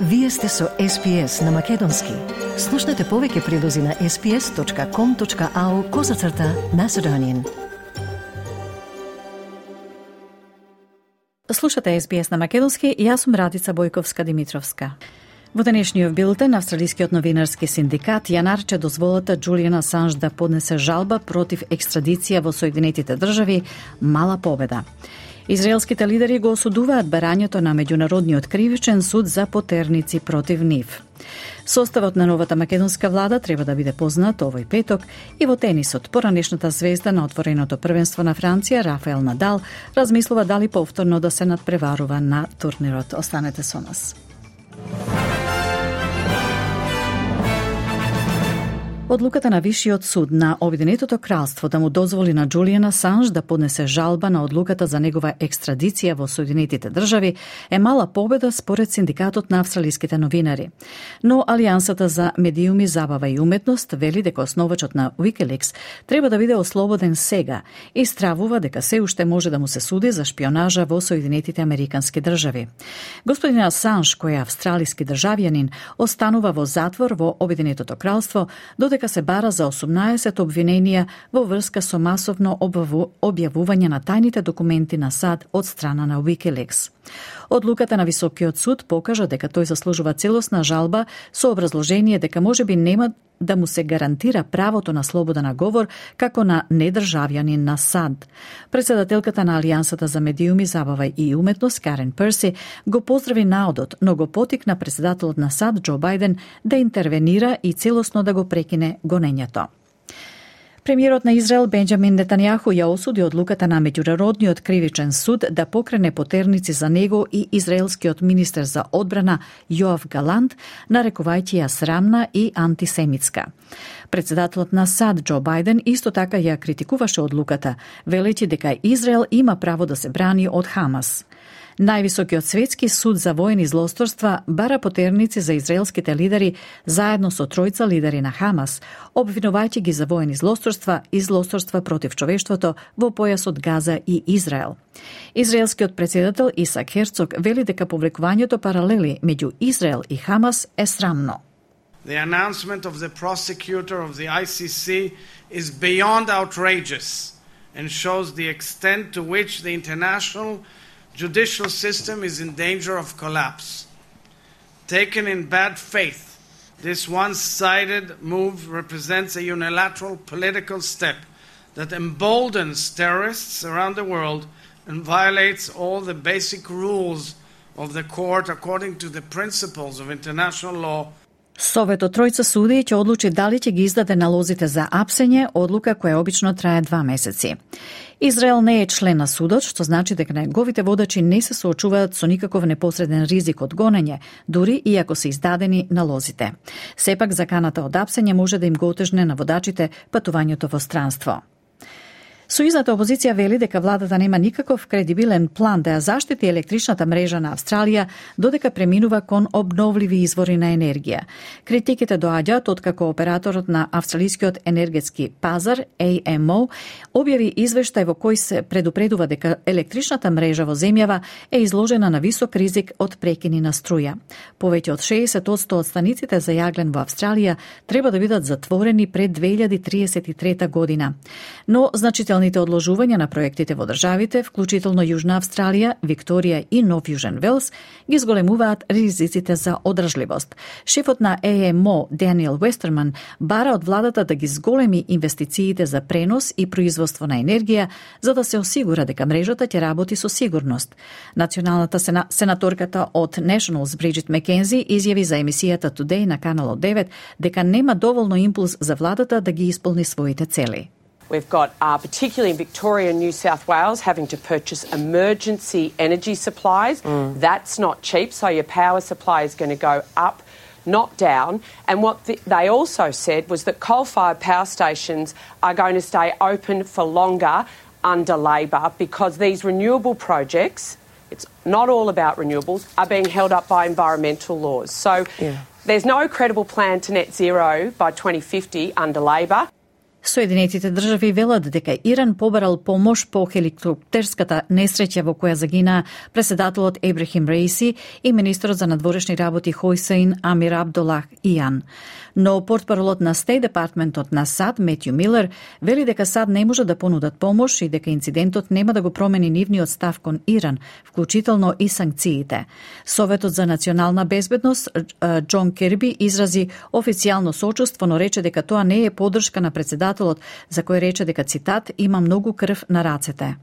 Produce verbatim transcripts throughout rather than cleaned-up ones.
Вие сте со Ес Би Ес на Македонски. Слушнете повеќе прилози на ес би ес точка ком точка ау козацрта Macedonian. Слушате Ес Би Ес на Македонски и јас сум Радица Бојковска-Димитровска. Во денешниот билтен, австралискиот новинарски синдикат ја нарече дозволата Џулијан Асанж да поднесе жалба против екстрадиција во Соединетите држави мала победа. Израелските лидери го осудуваат барањето на Меѓународниот кривичен суд за потерници против нив. Составот на новата македонска влада треба да биде познат овој петок и во тенисот. Поранешната звезда на отвореното првенство на Франција, Рафаел Надал, размислува дали повторно да се надпреварува на турнирот. Останете со нас. Одлуката на Вишиот суд на Обединетото кралство да му дозволи на Џулијан Асанж да поднесе жалба на одлуката за негова екстрадиција во Соединетите држави е мала победа според синдикатот на австралиските новинари. Но Алијансата за медиуми, забава и уметност вели дека основачот на Wikileaks треба да биде ослободен сега и стравува дека се уште може да му се суди за шпионажа во Соединетите Американски држави. Господин Асанж, кој е австралиски државјанин, останува во затвор во Обединетото кралство додека дека се бара за осумнаесет обвиненија во врска со масовно објавување на тајните документи на САД од страна на Wikileaks. Одлуката на Високиот суд покажа дека тој заслужува целосна жалба со образложение дека можеби нема да му се гарантира правото на слобода на говор како на недржавјанин на САД. Председателката на Алијансата за медиуми, забава и уметност Карен Перси го поздрави наодот, но го потикна председателот на САД Џо Бајден да интервенира и целосно да го прекине гонењето. Премиерот на Израел Бенџамин Нетањаху ја осуди одлуката на Меѓународниот кривичен суд да покрене потерници за него и израелскиот министер за одбрана Јоав Галант, нарекувајќи ја срамна и антисемитска. Председателот на САД Џо Бајден исто така ја критикуваше одлуката, велејќи дека Израел има право да се брани од Хамас. Највисокиот светски суд за воени злосторства бара потерници за израелските лидери заедно со тројца лидери на Хамас, обвинувајќи ги за воени злосторства и злосторства против човештвото во појасот Газа и Израел. Израелскиот председател Исак Херцог вели дека повлекувањето паралели меѓу Израел и Хамас е срамно. The announcement of the prosecutor of the I C C is beyond outrageous and shows the extent to which the international judicial system is in danger of collapse. Taken in bad faith, this one-sided move represents a unilateral political step that emboldens terrorists around the world and violates all the basic rules of the court according to the principles of international law. Советот тројца суди ќе одлучи дали ќе ги издаде налозите за апсење, одлука која обично трае два месеци. Израел не е член на судот, што значи дека неговите водачи не се соочуваат со никаков непосреден ризик од гонење, дури и ако се издадени налозите. Сепак заканата од апсење може да им го отежне на водачите патувањето во странство. Сојузната опозиција вели дека владата нема никаков кредибилен план да ја заштити електричната мрежа на Австралија додека преминува кон обновливи извори на енергија. Критиките доаѓаат откако операторот на австралискиот енергетски пазар А Ем О објави извештај во кој се предупредува дека електричната мрежа во земјава е изложена на висок ризик од прекини на струја. Повеќе од шеесет одсто од станиците за јаглен во Австралија треба да бидат затворени пред две илјади триесет и трета година. Но значително одложувања на проектите во државите, вклучително Јужна Австралија, Викторија и Нов Јужен Велс, ги зголемуваат ризиците за одржливост. Шефот на А Ем О, Даниел Вестерман, бара од владата да ги зголеми инвестициите за пренос и производство на енергија, за да се осигура дека мрежата ќе работи со сигурност. Националната сена... сенаторката од Nationals, Бриджит Макензи, изјави за емисијата Today на Канал девет дека нема доволно импулс за владата да ги исполни своите цели. We've got, uh, particularly in Victoria and New South Wales, having to purchase emergency energy supplies. Mm. That's not cheap, so your power supply is going to go up, not down. And what the, they also said was that coal-fired power stations are going to stay open for longer under Labor because these renewable projects, it's not all about renewables, are being held up by environmental laws. So yeah. There's no credible plan to net zero by twenty fifty under Labor. Соединетите држави велат дека Иран побарал помош по хеликоптерската несреќа во која загина председателот Ебрахим Раиси и министерот за надворешни работи Хосейн Амир Абдулах Иан. Но портпаролот на Стейт Департментот на САД Метју Милер вели дека САД не може да понудат помош и дека инцидентот нема да го промени нивниот став кон Иран, вклучително и санкциите. Советот за национална безбедност Џон Керби изрази официјално сочувство, но рече дека тоа не е поддршка на председателот, за кој рече дека, цитат, има многу крв на рацете.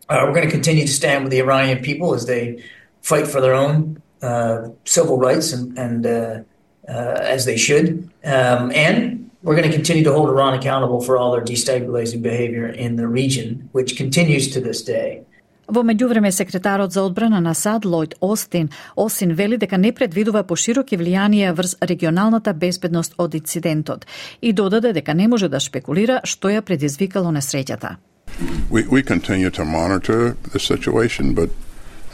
Uh, we're going to continue to stand with the Iranian people as they fight for their own uh, civil rights and, and uh, uh, as they should. Um, and we're going to continue to hold Iran accountable for all their destabilizing behavior in the region, which continues to this day. Во меѓувреме, секретарот за одбрана на САД Лојд Остин Осин вели дека не предвидува пошироки влијанија врз регионалната безбедност од инцидентот и додаде дека не може да шпекулира што ја предизвикало несреќата. We, we continue to monitor the situation, but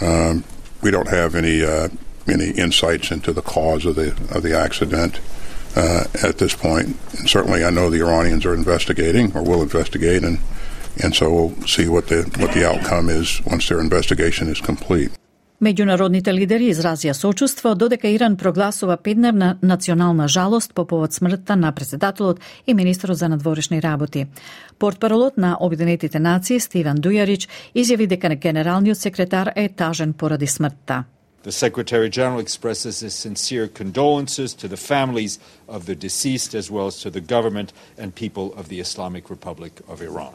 um, we don't have any uh, any insights into the cause of the of the accident uh, at this point. And certainly, I know the Iranians are investigating or will investigate, and and so we'll see what the what the outcome is once their investigation is complete. Меѓународните лидери изразија сочувство, додека Иран прогласува петдневна национална жалост по повод смртта на председателот и министерот за надворешни работи. Портпаролот на Обединетите нации Стивен Дујарич изјави дека генералниот секретар е тажен поради смртта. The Secretary General expresses his sincere condolences to the families of the deceased as well as to the government and people of the Islamic Republic of Iran.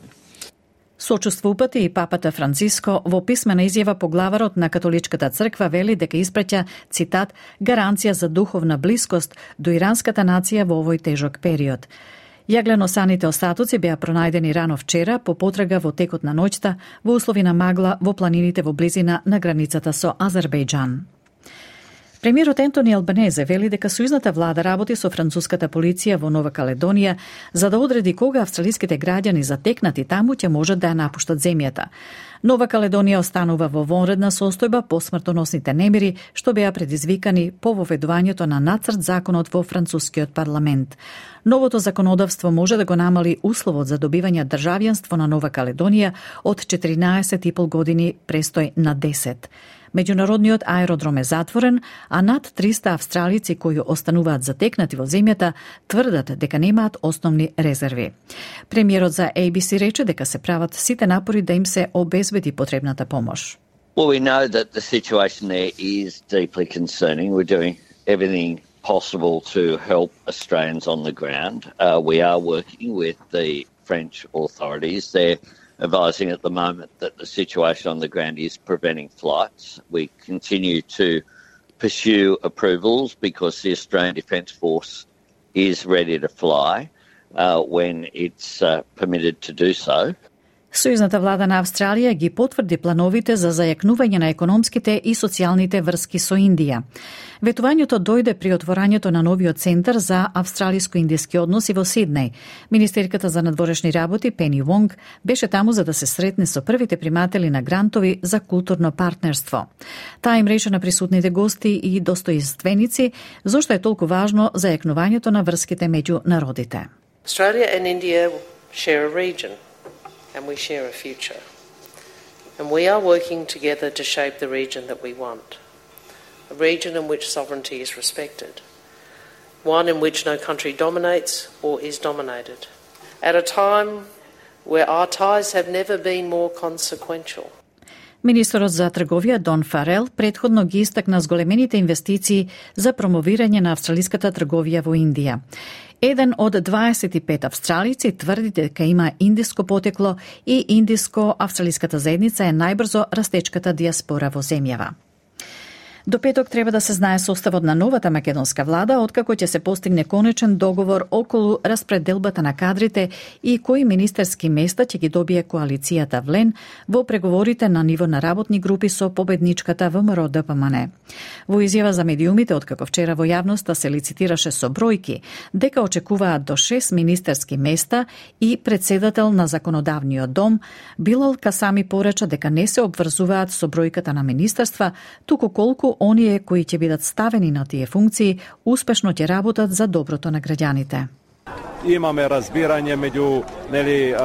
Сочувство упати и папата Франциско во писмена изјава поглаварот на католичката црква вели дека испраќа, цитат, гаранција за духовна блискост до иранската нација во овој тежок период. Јагленосаните остатоци беа пронајдени рано вчера по потрага во текот на ноќта во услови на магла во планините во близина на границата со Азербејџан. Премиерот Ентони Албанезе вели дека сојузната влада работи со француската полиција во Нова Каледонија за да одреди кога австралиските граѓани затекнати таму ќе можат да ја напуштат земјата. Нова Каледонија останува во вонредна состојба по смртоносните немири што беа предизвикани по воведувањето на нацрт законот во францускиот парламент. Новото законодавство може да го намали условот за добивање државјанство на Нова Каледонија од четиринаесет и пол години престој на десет. Меѓународниот аеродром е затворен, а над триста австралици кои остануваат затекнати во земјата тврдат дека немаат основни резерви. Премиерот за A B C рече дека се прават сите напори да им се обезбеди потребната помош. Well, we know that the situation there is deeply concerning. We're doing everything possible to help Australians on the ground. Uh, we are working with the French authorities. They're advising at the moment that the situation on the ground is preventing flights. We continue to pursue approvals because the Australian Defence Force is ready to fly uh, when it's uh, permitted to do so. Сојузната влада на Австралија ги потврди плановите за зајакнување на економските и социјалните врски со Индија. Ветувањето дојде при отворањето на новиот центар за австралиско-индиски односи во Сиднеј. Министерката за надворешни работи Пени Вонг беше таму за да се сретне со првите приматели на грантови за културно партнерство. Таа им рече на присутните гости и достоинственици зошто е толку важно зајакнувањето на врските меѓу народите. Australia and India share a region. And we share a future. And we are working together to shape the region that we want. A region in which sovereignty is respected. One in which no country dominates or is dominated. At a time where our ties have never been more consequential. Министерот за трговија Дон Фарел претходно ги истакна зголемените инвестиции за промовирање на австралиската трговија во Индија. Еден од дваесет и пет австралици тврди дека има индиско потекло и индиско-австралиската заедница е најбрзо растечката диаспора во земјава. До петок треба да се знае составот на новата македонска влада, откако ќе се постигне конечен договор околу распределбата на кадрите и кои министерски места ќе ги добие коалицијата ВЛЕН во преговорите на ниво на работни групи со победничката ВМРО Д П М Н. Во изјава за медиумите, откако вчера во јавноста се лицитираше со бројки, дека очекуваат до шест министерски места и председател на законодавниот дом, Билал Касами порача дека не се обврзуваат со бројката на министерства, туку колку оние кои ќе бидат ставени на тие функции успешно ќе работат за доброто на граѓаните. Имаме разбирање меѓу нели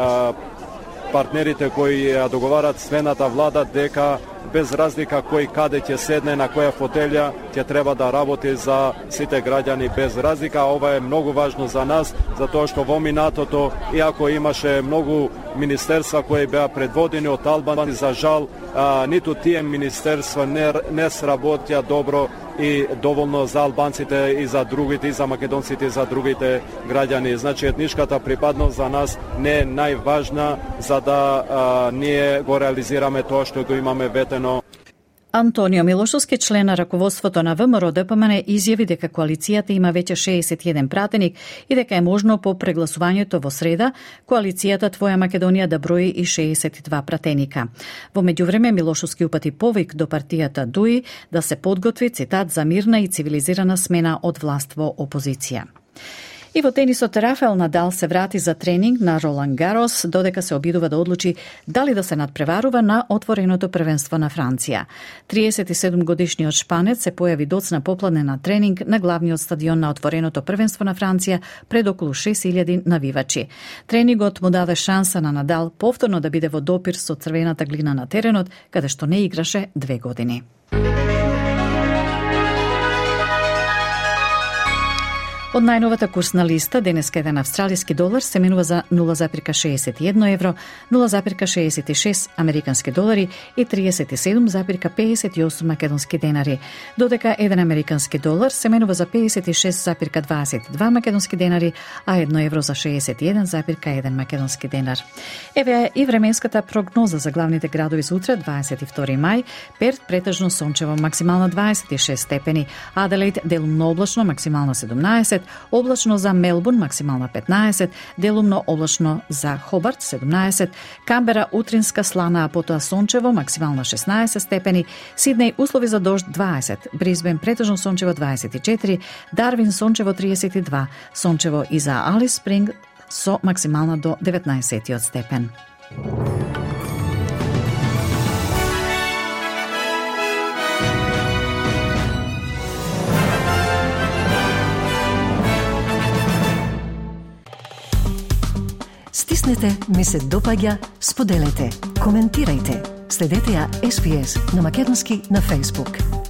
партнерите кои ја договарат смената влада дека без разлика кој каде ќе седне на која фотелја ќе треба да работи за сите граѓани без разлика. Ова е многу важно за нас, затоа што во минатото, иако имаше многу министерства кои беа предводени од Албанци, за жал, а, ниту тие министерства не, не сработија добро и доволно за албанците и за другите, и за македонците, и за другите граѓани. Значи, етничката припадност за нас не е најважна за да а, ние го реализираме тоа што го имаме ветено. Антонио Милошовски, член на раководството на ВМРО Д П М Н, изјави дека коалицијата има веќе шеесет и еден пратеник и дека е можно по прегласувањето во среда коалицијата Твоја Македонија да брои и шеесет и два пратеника. Во меѓувреме Милошовски упати повик до партијата Д У И да се подготви, цитат, за мирна и цивилизирана смена од власт во опозиција. И во тенисот Рафаел Надал се врати за тренинг на Ролан Гарос, додека се обидува да одлучи дали да се надпреварува на отвореното првенство на Франција. триесет и седум годишниот шпанец се појави доцна попладне на тренинг на главниот стадион на отвореното првенство на Франција пред околу шест илјади навивачи. Тренингот му даде шанса на Надал повторно да биде во допир со црвената глина на теренот, каде што не играше две години. Од најновата курсна листа, денеска еден австралиски долар се менува за нула запирка шеесет и едно евро, нула запирка шеесет и шест американски долари и триесет и седум запирка пеесет и осум македонски денари, додека еден американски долар се менува за пеесет и шест запирка дваесет и два македонски денари, а едно евро за шеесет и еден запирка еден македонски денар. Еве и временската прогноза за главните градови за утре, дваесет и втори мај, Перт претежно сончево, максимално дваесет и шест степени, Аделаид делумно облачно, максимално седумнаесет, облачно за Мелбурн, максимално петнаесет, делумно облачно за Хобарт, седумнаесет, Камбера утринска слана, а потоа сончево, максимално шеснаесет степени, Сиднеј услови за дожд дваесет, Брисбен претежно сончево дваесет и четири, Дарвин сончево триесет и два, сончево и за Алис Спринг со максимално до деветнаесет степен. Стиснете, ми се допаѓа, споделете, коментирајте. Следете ја Ес Би Ес на македонски на Facebook.